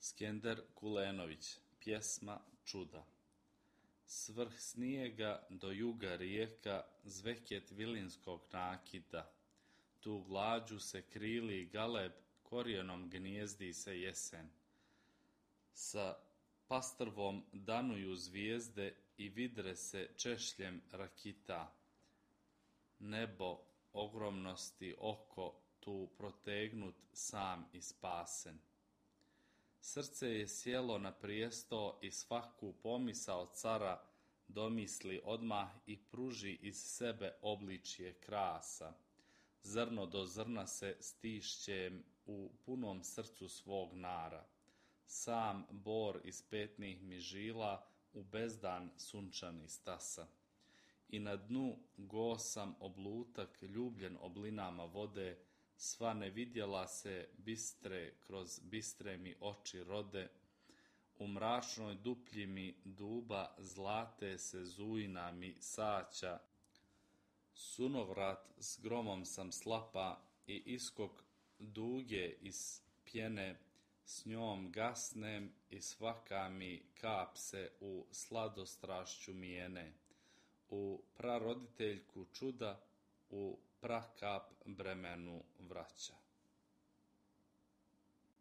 Skender Kulenović, pjesma Čuda. Svrh snijega do juga rijeka, zveket vilinskog nakita. Tu glađu se krili galeb, korijenom gnijezdi se jesen. Sa pastrvom danuju zvijezde i vidre se češljem rakita. Nebo ogromnosti oko, tu protegnut sam i spasen. Srce je sjelo na prijesto i svaku pomisao cara domisli odmah i pruži iz sebe obličje krasa. Zrno do zrna se stišćem u punom srcu svog nara. Sam bor iz petnih mi žila u bezdan sunčani stasa. I na dnu gosam oblutak ljubljen oblinama vode, sva ne vidjela se bistre kroz bistre mi oči rode, u mračnoj duplji mi duba zlate se zujna mi saća, sunovrat s gromom sam slapa i iskok duge iz pjene, s njom gasnem i svaka mi kap se u sladostrašću mijene, u praroditeljku čuda, u prakap bremenu vraća.